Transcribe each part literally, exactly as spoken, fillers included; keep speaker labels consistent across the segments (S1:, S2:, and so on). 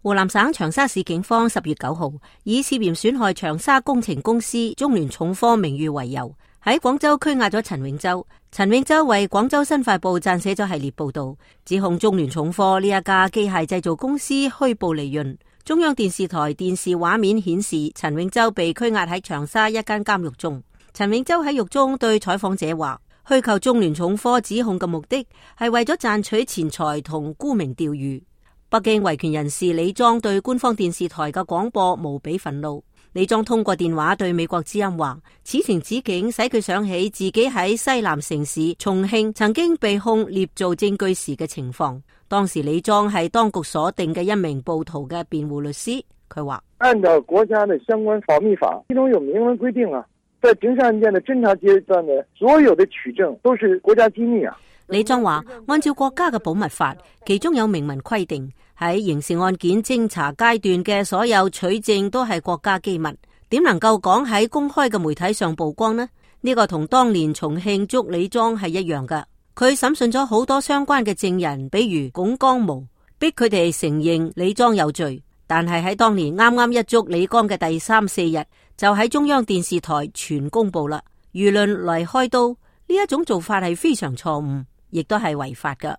S1: 湖南省長沙市警方十月九號以涉嫌損害長沙工程公司中聯重科名譽為由，喺廣州拘押咗陳永洲。陳永洲為廣州新快報撰寫咗系列報道，指控中聯重科呢一家機械製造公司虛報利潤。中央電視台電視畫面顯示，陳永洲被拘押喺長沙一間監獄中。陳永洲喺獄中對採訪者話，虛構中聯重科指控嘅目的係為咗賺取錢財同沽名釣譽。北京維權人士李莊對官方電視台嘅廣播無比憤怒。李莊通過電話對美國之音話，此情此景使佢想起自己喺西南城市重慶曾經被控捏造證據時嘅情況。當時李莊係當局所定嘅一名暴徒嘅辯護律師，佢話：
S2: 按照國家的相關保密法，其中有明文規定啊，在刑事案件的偵查階段的所有的取證都是國家機密啊。
S1: 李莊話：按照國家嘅保密法，其中有明文規定，喺刑事案件偵查階段嘅所有取證都係國家機密，點能夠講喺公開嘅媒體上曝光呢？呢個同當年重慶捉李莊係一樣㗎。佢審訊咗好多相關嘅證人，比如龔江模，逼佢哋承認李莊有罪。但係喺當年啱啱一捉李剛嘅第三四日，就喺中央電視台全公布啦，輿論嚟開刀。呢一種做法係非常錯誤，亦都係違法㗎。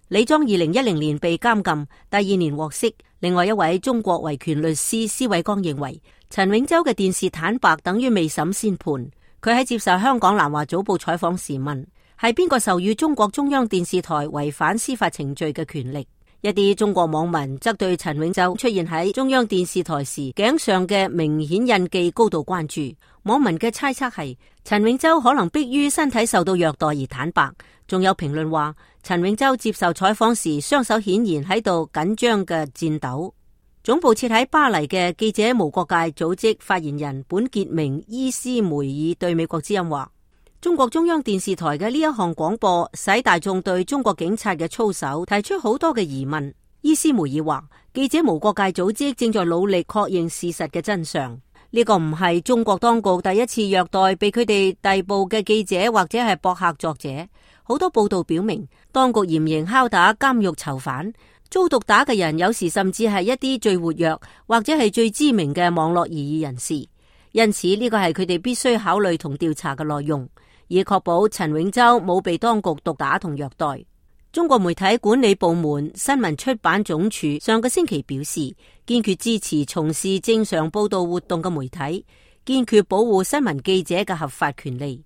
S1: 李莊二零一零年被監禁，第二年獲釋。另外一位中國維權律師施偉光認為，陳永洲嘅電視坦白等於未審先判。佢喺接受香港南華早報採訪時問，係邊個授予中國中央電視台違反司法程序嘅權力？一啲中國網民則對陳永洲出現喺中央電視台時頸上嘅明顯印記高度關注。網民嘅猜測係陳永洲可能迫於身體受到虐待而坦白。仲有評論話，陳永洲接受採訪時雙手顯然喺度緊張嘅顫抖。總部設喺巴黎嘅記者無國界組織發言人本傑明伊斯梅爾對美國之音話，中國中央電視台嘅呢一項廣播使大眾對中國警察嘅操守提出好多嘅疑問。伊斯梅爾話，記者無國界組織正在努力確認事實嘅真相。呢個唔係中國當局第一次虐待被佢哋逮捕嘅記者或者係博客作者。好多報道表明，當局嚴刑拷打監獄囚犯，遭毒打嘅人有時甚至係一啲最活躍或者係最知名嘅網絡異議人士。因此呢個係佢哋必須考慮同調查嘅內容，以確保陳永洲冇被當局毒打同虐待。中國媒體管理部門新聞出版總署上個星期表示，堅決支持從事正常報道活動嘅媒體，堅決保護新聞記者嘅合法權利。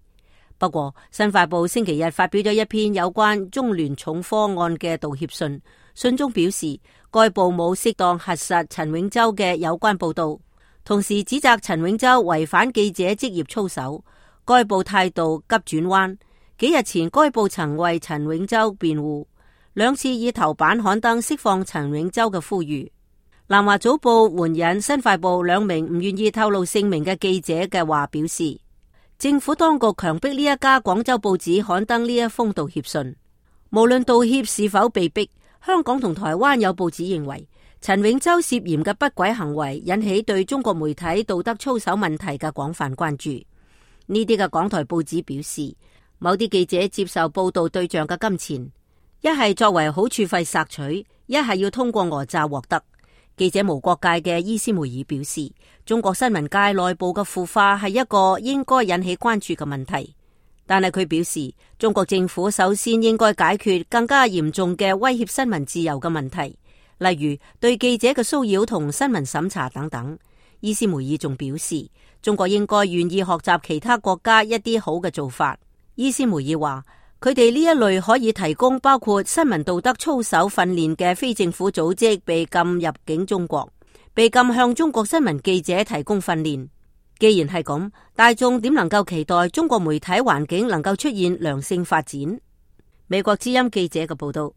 S1: 不過，新快報星期日發表咗一篇有關中聯重科案嘅道歉信，信中表示該報冇適當核實陳永洲嘅有關報道，同時指責陳永洲違反記者職業操守。該報態度急轉彎，幾日前該報曾為陳永洲辯護，兩次以頭版刊登釋放陳永洲嘅呼籲。南華早報援引新快報兩名唔願意透露姓名嘅記者嘅話表示，政府當局強迫呢一家廣州報紙刊登呢一封道歉信。無論道歉是否被逼，香港同台灣有報紙認為陳永洲涉嫌嘅不軌行為引起對中國媒體道德操守問題嘅廣泛關注。呢啲嘅港台報紙表示，某啲記者接受報道對象嘅金錢，一係作為好處費索取，一係要通過訛詐獲得。記者無國界嘅伊斯梅爾表示，中國新聞界內部嘅腐化係一個應該引起關注嘅問題，但係佢表示，中國政府首先應該解決更加嚴重嘅威脅新聞自由嘅問題，例如對記者嘅騷擾同新聞審查等等。伊斯梅爾仲表示，中國應該願意學習其他國家一啲好嘅做法。伊斯梅爾話，佢哋呢一類可以提供包括新聞道德操守訓練嘅非政府組織被禁入境中國，被禁向中國新聞記者提供訓練。既然係咁，大眾點能夠期待中國媒體環境能夠出現良性發展？美國之音記者嘅報道。